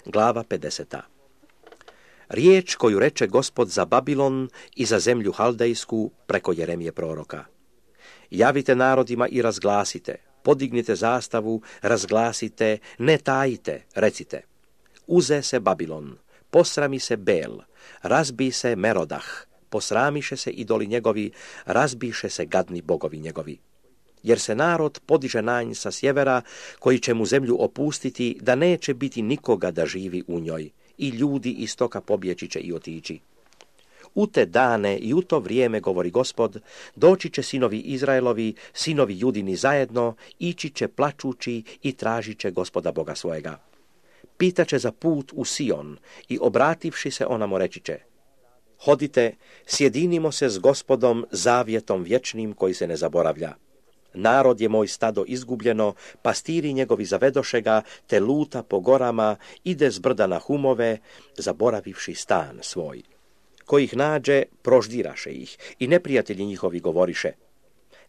Glava 50. Riječ koju reče Gospod za Babilon i za zemlju Haldejsku preko Jeremije proroka. Javite narodima i razglasite, podignite zastavu, razglasite, ne tajite, recite. Uze se Babilon, posrami se Bel, razbi se Merodah, posramiše se idoli njegovi, razbiše se gadni bogovi njegovi. Jer se narod podiže na nj sa sjevera, koji će mu zemlju opustiti, da neće biti nikoga da živi u njoj, i ljudi istoka pobjeći će i otići. U te dane i u to vrijeme, govori Gospod, doći će sinovi Izraelovi, sinovi Judini zajedno, ići će plačući i tražit će Gospoda Boga svojega. Pitaće za put u Sion i obrativši se onamo reći će: hodite, sjedinimo se s Gospodom zavjetom vječnim koji se ne zaboravlja. Narod je moj stado izgubljeno, pastiri njegovi zavedoše ga, te luta po gorama, ide s brda na humove, zaboravivši stan svoj. Ko ih nađe, proždiraše ih, i neprijatelji njihovi govoriše: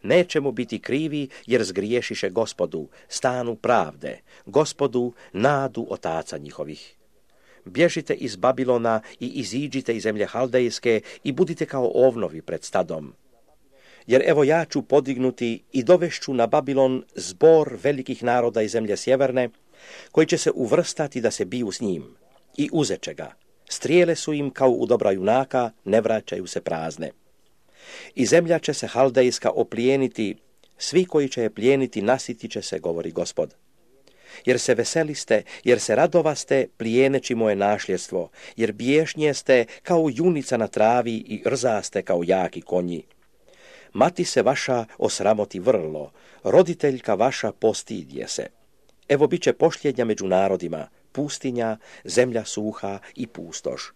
neće mu biti krivi, jer zgriješiše Gospodu, stanu pravde, Gospodu, nadu otaca njihovih. Bježite iz Babilona i iziđite iz zemlje Haldejske i budite kao ovnovi pred stadom. Jer evo ja ću podignuti i dovešću na Babilon zbor velikih naroda iz zemlje sjeverne, koji će se uvrstati da se biju s njim, i uzeće ga. Strijele su im kao u dobra junaka, ne vraćaju se prazne. I zemlja će se Haldejska oplijeniti, svi koji će je plijeniti nasitit će se, govori Gospod. Jer se veseliste, jer se radovaste, plijeneći moje našljedstvo, jer biješnje ste kao junica na travi i rzaste kao jaki konji. Mati se vaša osramoti vrlo, roditeljka vaša postidje se. Evo bit će pošljednja među narodima, pustinja, zemlja suha i pustoš.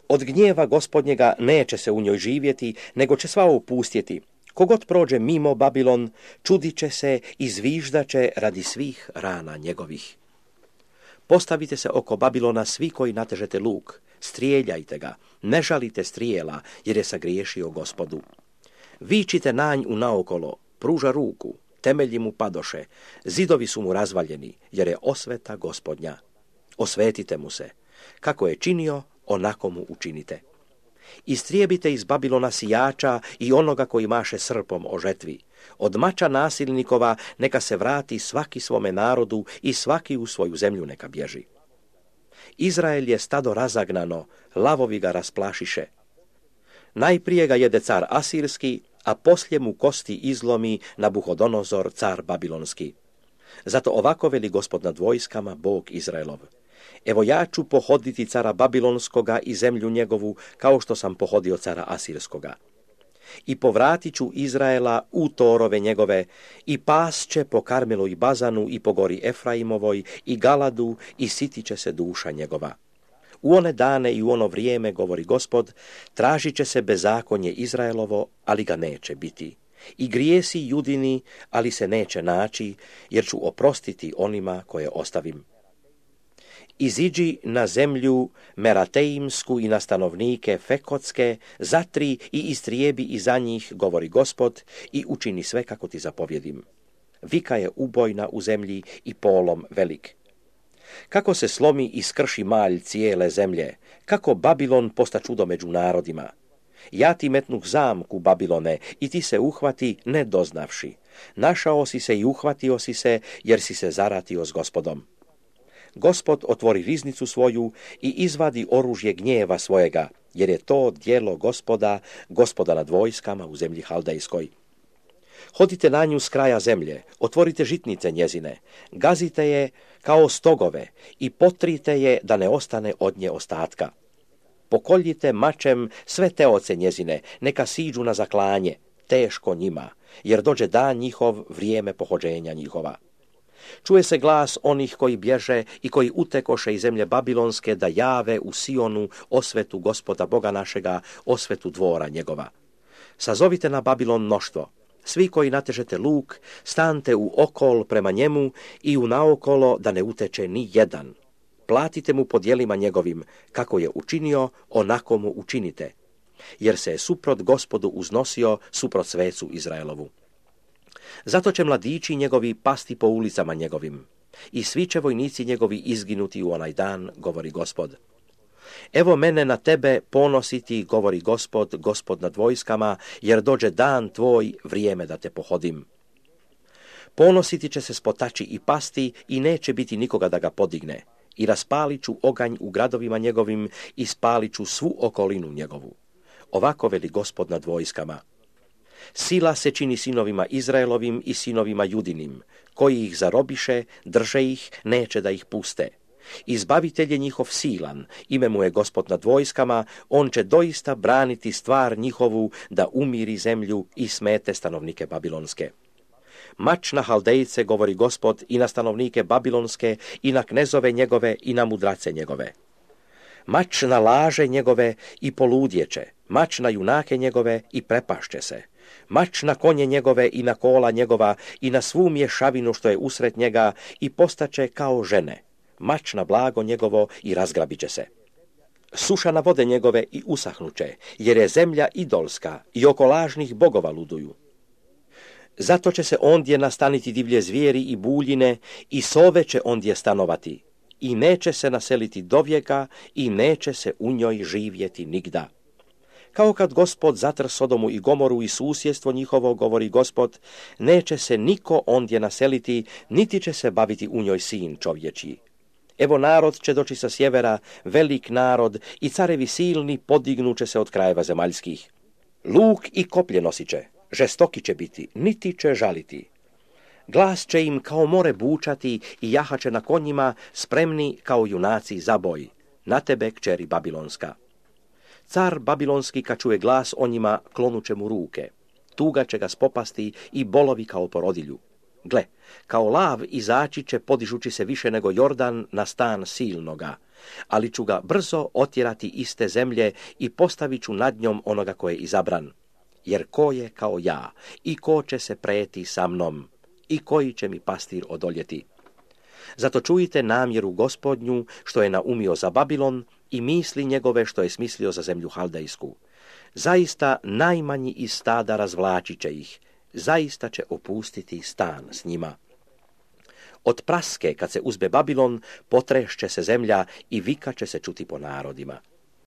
Od gnjeva Gospodnjega neće se u njoj živjeti, nego će sva opustjeti. Kogod prođe mimo Babilon, čudit će se i zviždat će radi svih rana njegovih. Postavite se oko Babilona svi koji natežete luk, strijeljajte ga, ne žalite strijela, jer je sagriješio Gospodu. Vičite na nj u naokolo, pruža ruku, temelji mu padoše, zidovi su mu razvaljeni, jer je osveta Gospodnja. Osvetite mu se, kako je činio, onako mu učinite. Istrijebite iz Babilona sijača i onoga koji maše srpom o žetvi. Od mača nasilnikova neka se vrati svaki svome narodu i svaki u svoju zemlju neka bježi. Izrael je stado razagnano, lavovi ga rasplašiše. Najprije ga jede car Asirski, a poslije mu kosti izlomi Nabuhodonozor, car Babilonski. Zato ovako veli Gospod nad vojskama, Bog Izraelov: evo ja ću pohoditi cara Babilonskoga i zemlju njegovu, kao što sam pohodio cara Asirskoga. I povratit ću Izraela u torove njegove, i pas će po Karmelu i Bazanu i po gori Efraimovoj i Galadu, i sitit će se duša njegova. U one dane i u ono vrijeme, govori Gospod, tražit će se bezakonje Izraelovo, ali ga neće biti. I grijesi Judini, ali se neće naći, jer ću oprostiti onima koje ostavim. Iziđi na zemlju Merateimsku i na stanovnike Fekotske, zatri i istrijebi iza njih, govori Gospod, i učini sve kako ti zapovjedim. Vika je ubojna u zemlji i polom velik. Kako se slomi i skrši malj cijele zemlje, kako Babilon posta čudo među narodima. Ja ti metnuh zamku, Babilone, i ti se uhvati ne doznavši. Našao si se i uhvatio si se, jer si se zaratio s Gospodom. Gospod otvori riznicu svoju i izvadi oružje gnjeva svojega, jer je to djelo Gospoda, Gospoda nad vojskama u zemlji Haldejskoj. Hodite na nju s kraja zemlje, otvorite žitnice njezine, gazite je kao stogove i potrite je da ne ostane od nje ostatka. Pokoljite mačem sve teoce njezine, neka siđu na zaklanje, teško njima, jer dođe dan njihov, vrijeme pohođenja njihova. Čuje se glas onih koji bježe i koji utekoše iz zemlje Babilonske da jave u Sionu osvetu Gospoda Boga našega, osvetu dvora njegova. Sazovite na Babilon mnoštvo. Svi koji natežete luk, stante u okol prema njemu i u naokolo da ne uteče ni jedan. Platite mu po djelima njegovim, kako je učinio, onako mu učinite. Jer se je suprot Gospodu uznosio, suprot svecu Izraelovu. Zato će mladići njegovi pasti po ulicama njegovim. i svi će vojnici njegovi izginuti u onaj dan, govori Gospod. Evo mene na tebe ponositi, govori Gospod, Gospod nad vojskama, jer dođe dan tvoj, vrijeme da te pohodim. Ponositi će se spotači i pasti i neće biti nikoga da ga podigne. I raspalit ću oganj u gradovima njegovim i spalit ću svu okolinu njegovu. Ovako veli Gospod nad vojskama. Sila se čini sinovima Izraelovim i sinovima Judinim, koji ih zarobiše, drže ih, neće da ih puste. Izbavitelj je njihov silan, ime mu je Gospod nad vojskama, on će doista braniti stvar njihovu da umiri zemlju i smete stanovnike babilonske. Mač na Haldejce, govori Gospod, i na stanovnike babilonske, i na knezove njegove, i na mudrace njegove. Mač na laže njegove i poludjeće, mač na junake njegove i prepašće se. Mač na konje njegove i na kola njegova i na svu mješavinu što je usred njega i postaće kao žene. Mač na blago njegovo i razgrabit će se. Suša na vode njegove i usahnuće, jer je zemlja idolska i oko lažnih bogova luduju. Zato će se ondje nastaniti divlje zvijeri i buljine i sove će ondje stanovati i neće se naseliti dovijeka i neće se u njoj živjeti nigda. Kao kad Gospod zatr Sodomu i Gomoru i susjedstvo njihovo, govori Gospod, neće se niko ondje naseliti, niti će se baviti u njoj sin čovječji. Evo narod će doći sa sjevera, velik narod, i carevi silni podignuće se od krajeva zemaljskih. Luk i koplje nosit će, žestoki će biti, niti će žaliti. Glas će im kao more bučati i jahaće na konjima, spremni kao junaci za boj. Na tebe, kćeri babilonska. Car babilonski, kad čuje glas o njima, klonuće mu ruke. Tuga će ga spopasti i bolovi kao porodilju. Gle, kao lav izaći će podižući se više nego Jordan na stan silnoga, ali ću ga brzo otjerati iz te zemlje i postavit ću nad njom onoga koje je izabran. Jer ko je kao ja i ko će se preti sa mnom i koji će mi pastir odoljeti. Zato čujte namjeru Gospodnju što je naumio za Babilon i misli njegove što je smislio za zemlju Haldejsku. Zaista najmanji iz stada razvlačit će ih, zaista će opustiti stan s njima. Od praske, kad se uzbe Babilon, potrešće se zemlja i vika će se čuti po narodima.